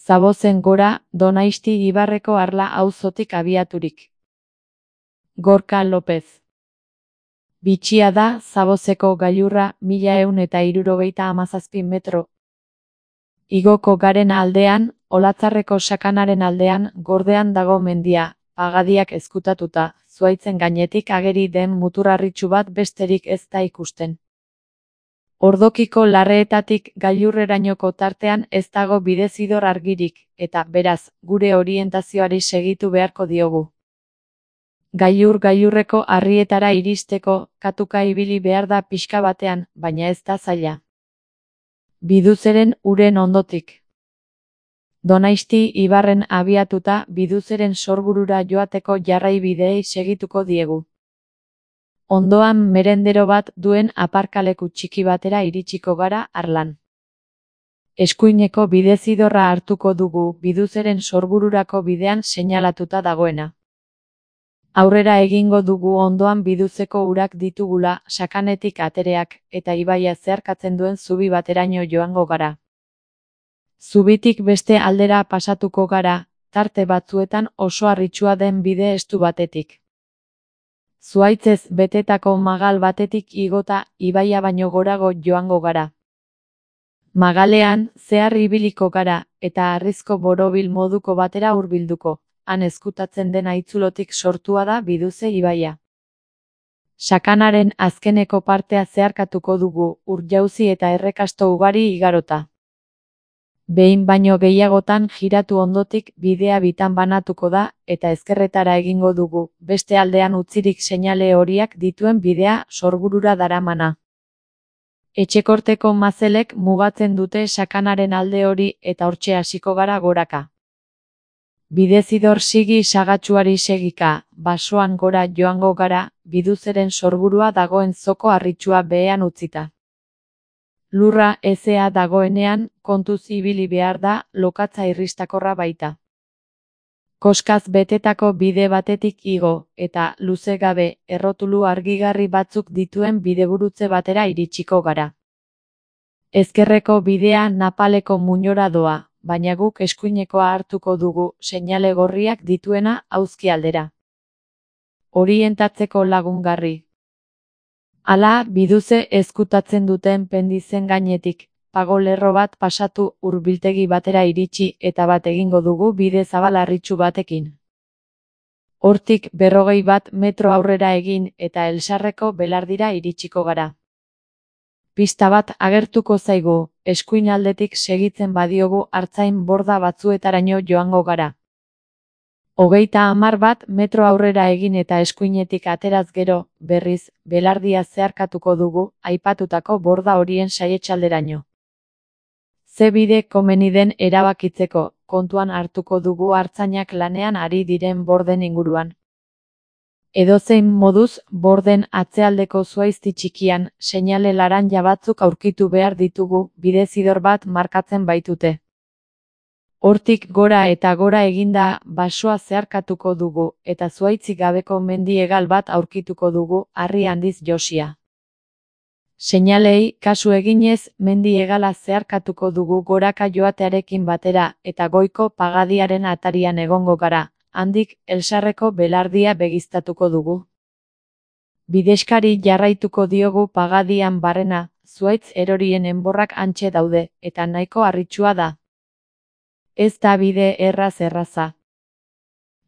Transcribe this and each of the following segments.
Zabozen gora, Donaisti ibarreko Arla auzotik abiaturik. Gorka Lopez. Bitxia da Zabozeko gailurra 1177 metro. Igoko garen aldean, Olatzarreko sakanaren aldean, gordean dago mendia, pagadiak ezkutatuta, zuaitzen gainetik ageri den muturarritxu bat besterik ez da ikusten. Ordokiko larreetatik gailurrerainoko tartean ez dago bidezidor argirik, eta, beraz, gure orientazioari segitu beharko diogu. Gailurreko harrietara iristeko, katuka ibili behar da pixka batean, baina ez da zaila. Biduzeren uren ondotik. Donaisti ibarren abiatuta Biduzeren sorburura joateko jarraibideei segituko diegu. Ondoan merendero bat duen aparkaleku txiki batera iritsiko gara Arlan. Eskuineko bidezidorra hartuko dugu Biduzeren sorbururako bidean seinalatuta dagoena. Aurrera egingo dugu ondoan Biduzeko urak ditugula, sakanetik atereak, eta ibaia zeharkatzen duen zubi bateraino joango gara. Zubitik beste aldera pasatuko gara, tarte batzuetan oso harritsua den bide estu batetik. Zuaitzez betetako magal batetik igota, ibaia baino gorago joango gara. Magalean, zehar ibiliko gara, eta harrizko borobil moduko batera hurbilduko. Han ezkutatzen den haitzulotik sortua da Biduze ibaia. Sakanaren azkeneko partea zeharkatuko dugu, urjauzi eta errekasto ugari igarota. Behin baino gehiagotan jiratu ondotik bidea bitan banatuko da, eta ezkerretara egingo dugu, beste aldean utzirik seinale horiak dituen bidea sorburura daramana. Etxekorteko mazelek mugatzen dute sakanaren alde hori eta hortxe hasiko gara goraka. Bidezidor sigi sagatsuari segika, basoan gora joango gara, Biduzeren sorburua dagoen zoko harritsua behean utzita. Lurra ezea dagoenean, kontuz ibili behar da, lokatza irristakorra baita. Koskaz betetako bide batetik igo, eta, luze gabe, errotulu argigarri batzuk dituen bidegurutze batera iritsiko gara. Ezkerreko bidea Napaleko muinora doa, baina guk eskuinekoa hartuko dugu, seinale gorriak dituena auzki aldera. Orientatzeko lagungarri. Hala, Biduze ezkutatzen duten pendizen gainetik, pagolerro bat pasatu hurbiltegi batera iritsi eta bat egingo dugu bide zabal harritsu batekin. Hortik 41 metro aurrera egin eta Elsarreko belardira iritsiko gara. Pista bat agertuko zaigu, eskuin aldetik segitzen badiogu artzain borda batzuetaraino joango gara. 31 metro aurrera egin eta eskuinetik ateraz gero, berriz, belardia zeharkatuko dugu, aipatutako borda horien saietsalderaino. Ze bide komeni den erabakitzeko, kontuan hartuko dugu artzainak lanean ari diren borden inguruan. Edozein moduz, borden atzealdeko zuaizti txikian, seinale laranja batzuk aurkitu behar ditugu, bidezidor bat markatzen baitute. Hortik gora eta gora eginda, basoa zeharkatuko dugu, eta zuaitzik gabeko mendi hegal bat aurkituko dugu, harri handiz josia. Seinalei, kasu eginez, mendi hegala zeharkatuko dugu goraka joatearekin batera, eta goiko pagadiaren atarian egongo gara. Handik, Elsarreko belardia begiztatuko dugu. Bideskari jarraituko diogu pagadian barrena, zuaitz erorien enborrak hantxe daude, eta nahiko harritsua da. Ez da bide erraza.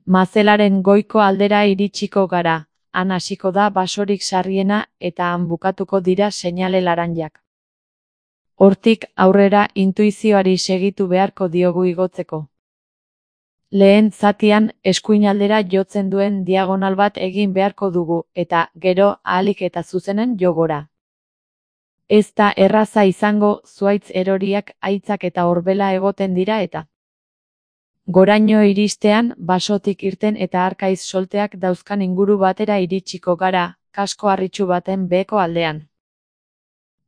Mazelaren goiko aldera iritsiko gara, han hasiko da basorik sarriena eta han bukatuko dira seinale laranjak. Hortik aurrera intuizioari segitu beharko diogu igotzeko. Lehen zatian, eskuinaldera jotzen duen diagonal bat egin beharko dugu, eta, gero, ahalik eta zuzenen jogora. Ez da erraza izango, zuaitz eroriak, haitzak eta horbela egoten dira eta. Goraino iristean, basotik irten eta arkaiz solteak dauzkan inguru batera iritsiko gara, kasko harritsu baten beheko aldean.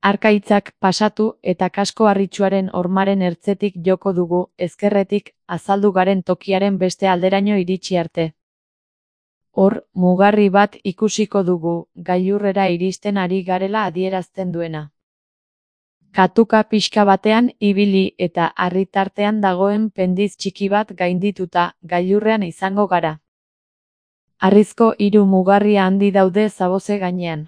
Arkaitzak pasatu eta kasko harritsuaren hormaren ertzetik joko dugu, ezkerretik, azaldu garen tokiaren beste alderaino iritsi arte. Hor, mugarri bat ikusiko dugu, gailurrera iristen ari garela adierazten duena. Katuka pixka batean ibili eta harritartean dagoen pendiz txiki bat gaindituta gailurrean izango gara. Harrizko hiru mugarri handi daude zaboze gainean.